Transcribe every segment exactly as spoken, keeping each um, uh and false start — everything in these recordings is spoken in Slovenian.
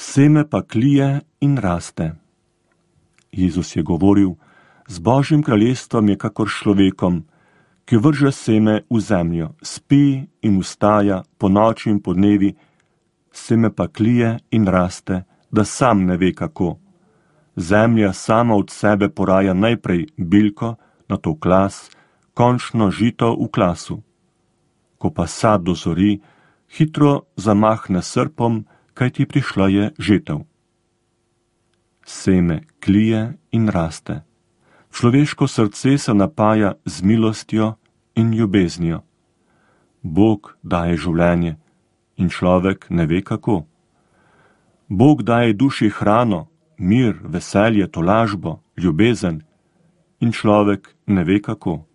Seme pa klije in raste. Jezus je govoril, z Božjim kraljestvom je kakor človekom, ki vrže seme v zemljo, spi in vstaja po noči in po dnevi, seme pa klije in raste, da sam ne ve kako. Zemlja sama od sebe poraja najprej bilko, nato klas, končno žito v klasu. Ko pa sad dozori, hitro zamahne srpom, kajti prišla je žetev. Seme klije in raste. Človeško srce se napaja z milostjo in ljubeznijo. Bog daje življenje in človek ne ve kako. Bog daje duši hrano, mir, veselje, tolažbo, ljubezen in človek ne ve kako.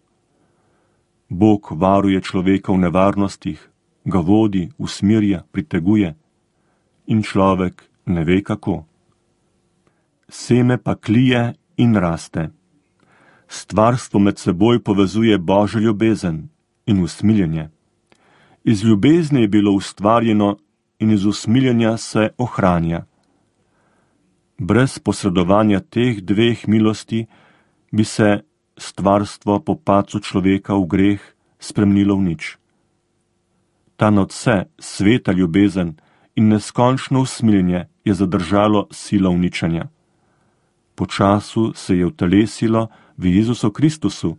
Bog varuje človeka v nevarnostih, ga vodi, usmirja, priteguje in človek ne ve kako. Seme pa klije in raste. Stvarstvo med seboj povezuje Božjo ljubezen in usmiljenje. Iz ljubezni je bilo ustvarjeno in iz usmiljenja se ohranja. Brez posredovanja teh dveh milosti bi se stvarstvo po padcu človeka v greh spremenilo v nič. Ta nadvse sveta ljubezen in neskončno usmiljenje je zadržalo silo uničenja. Po času se je utelesilo v Jezusu Kristusu,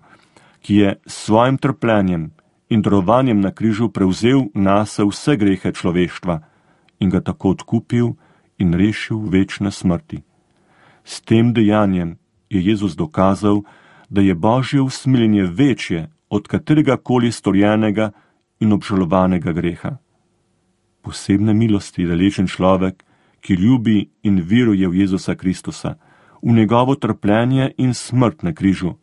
ki je s svojim trpljenjem in darovanjem na križu prevzel nase vse grehe človeštva in ga tako odkupil in rešil večne smrti. S tem dejanjem je Jezus dokazal, da je Božje usmiljenje večje od katerega koli storjenega in obžalovanega greha. Posebne milosti deležen človek, ki ljubi in veruje v Jezusa Kristusa, v njegovo trpljenje in smrt na križu,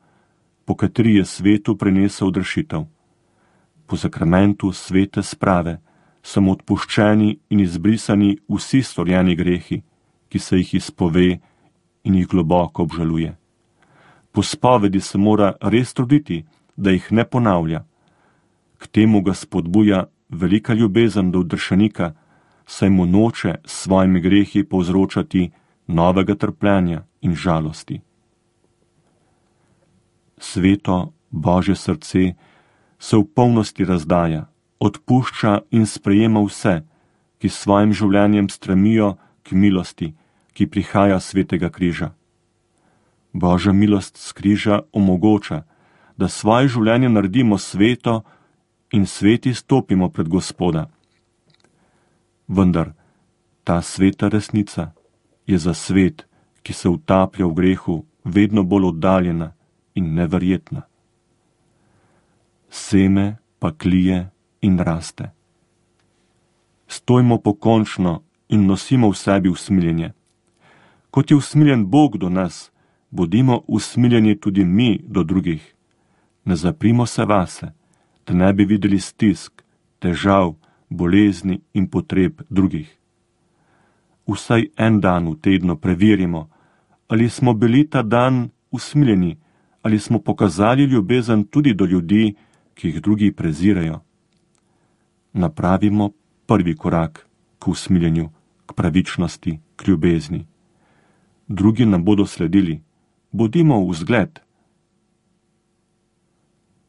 po kateri je svetu prinesel odrešitev. Po sakramentu svete sprave so mu odpuščeni in izbrisani vsi storjeni grehi, ki se jih izpove in jih globoko obžaluje. Po spovedi se mora res truditi, da jih ne ponavlja. K temu ga spodbuja velika ljubezen do odrešenika, saj mu noče s svojimi grehi povzročati novega trpljenja in žalosti. Sveto Božje srce se v polnosti razdaja, odpušča in sprejema vse, ki s svojim življenjem stremijo k milosti, ki prihaja s svetega križa. Božja milost s križa omogoča, da svoje življenje naredimo sveto in sveti stopimo pred Gospoda. Vendar ta sveta resnica je za svet, ki se utaplja v grehu, vedno bolj oddaljena in neverjetna. Seme pa klije in raste. Stojmo pokončno in nosimo v sebi usmiljenje. Kot je usmiljen Bog do nas, bodimo usmiljeni tudi mi do drugih. Ne zaprimo se vase, da ne bi videli stisk, težav, bolezni in potreb drugih. Vsaj en dan v tednu preverimo, ali smo bili ta dan usmiljeni, ali smo pokazali ljubezen tudi do ljudi, ki jih drugi prezirajo. Napravimo prvi korak k usmiljenju, k pravičnosti, k ljubezni. Drugi nam bodo sledili. Bodimo vzgled.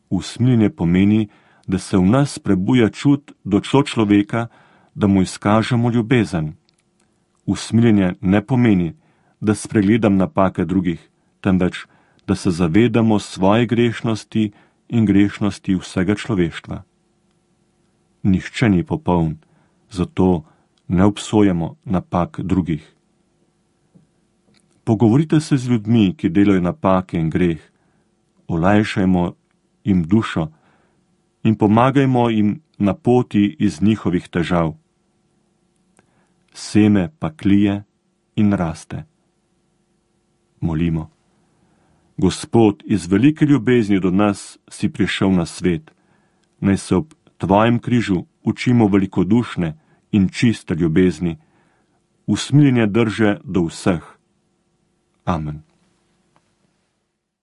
Usmiljenje pomeni, da se v nas prebuja čut do človeka, da mu izkažemo ljubezen. Usmiljenje ne pomeni, da spregledam napake drugih, temveč, da se zavedamo svoje grešnosti in grešnosti vsega človeštva. Nihče ni popoln, zato ne obsojamo napak drugih. Pogovorite se z ljudmi, ki delajo napake in greh, olajšajmo jim dušo in pomagajmo jim na poti iz njihovih težav. Seme pa klije in raste. Molimo. Gospod, iz velike ljubezni do nas si prišel na svet. Naj se ob tvojem križu učimo velikodušne in čiste ljubezni, usmiljenje drže do vseh. Amen.